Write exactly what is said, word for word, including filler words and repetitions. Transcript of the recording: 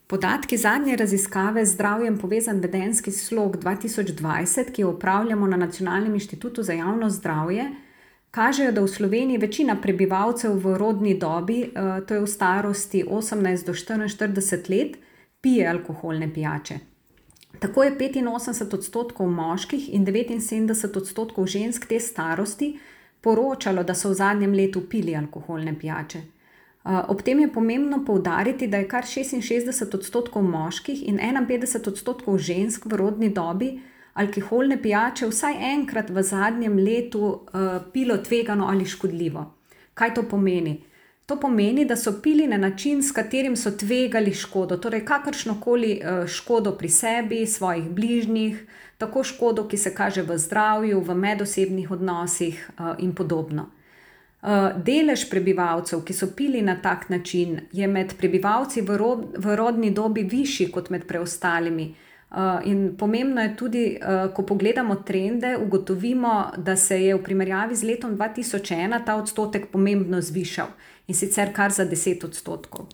Podatki zadnje raziskave z zdravjem povezan vedenjski slog dva tisoč dvajset, ki jo opravljamo na Nacionalnem inštitutu za javno zdravje, kažejo, da v Sloveniji večina prebivalcev v rodni dobi, to je v starosti osemnajst do štiriinštirideset let, pije alkoholne pijače. Tako je petinosemdeset odstotkov moških in devetinsedemdeset odstotkov žensk te starosti poročalo, da so v zadnjem letu pili alkoholne pijače. Ob tem je pomembno poudariti, da je kar šestinšestdeset odstotkov moških in enainpetdeset odstotkov žensk v rodni dobi alkoholne pijače vsaj enkrat v zadnjem letu uh, pilo tvegano ali škodljivo. Kaj to pomeni? To pomeni, da so pili na način, s katerim so tvegali škodo, torej kakršnokoli uh, škodo pri sebi, svojih bližnjih, tako škodo, ki se kaže v zdravju, v medosebnih odnosih uh, in podobno. Uh, delež prebivalcev, ki so pili na tak način, je med prebivalci v, ro- v rodni dobi višji kot med preostalimi. Uh, in pomembno je tudi, uh, ko pogledamo trende, ugotovimo, da se je v primerjavi z letom dva tisoč ena ta odstotek pomembno zvišal in sicer kar za deset odstotkov.